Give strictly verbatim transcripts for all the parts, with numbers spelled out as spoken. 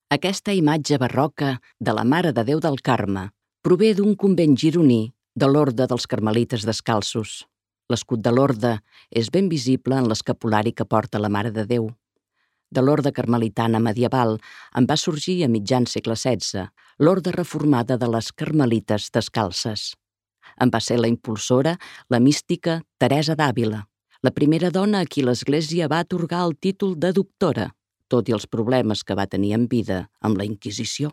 Aquesta imatge barroca de la Mare de Déu del Carme prové d'un convent gironí de l'Orde dels Carmelites Descalços. L'escut de l'orde és ben visible en l'escapulari que porta la Mare de Déu. De l'orde carmelitana medieval en va sorgir a mitjan segle setze l'orde reformada de les Carmelites Descalces. En va ser la impulsora la mística Teresa d'Àvila, la primera dona a qui l'Església va atorgar el títol de doctora, tot i els problemes que va tenir en vida amb la Inquisició.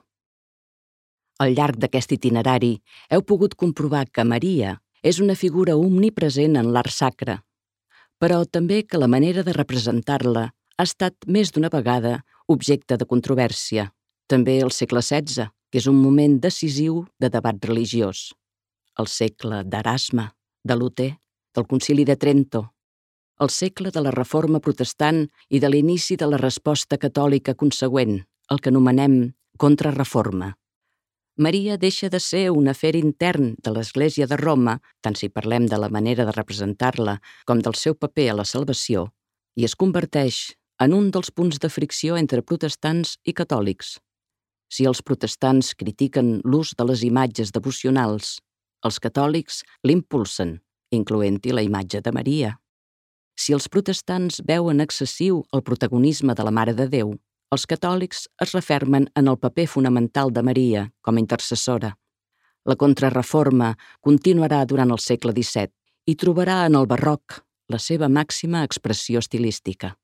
Al llarg d'aquest itinerari heu pogut comprovar que Maria és una figura omnipresent en l'art sacre, però també que la manera de representar-la ha estat més d'una vegada objecte de controvèrsia, també al segle setze, que és un moment decisiu de debat religiós, el segle d'Erasme, de Luter, del Concili de Trento, el segle de la Reforma Protestant i de l'inici de la resposta catòlica consegüent, el que anomenem Contrareforma. Maria deixa de ser un afer intern de l'Església de Roma, tant si parlem de la manera de representar-la com del seu paper a la salvació, i es converteix en un dels punts de fricció entre protestants i catòlics. Si els protestants critiquen l'ús de les imatges devocionals, els catòlics l'impulsen, incloent-hi la imatge de Maria. Si els protestants veuen excessiu el protagonisme de la Mare de Déu, els catòlics es refermen en el paper fonamental de Maria com a intercessora. La Contrareforma continuarà durant el segle disset i trobarà en el barroc la seva màxima expressió estilística.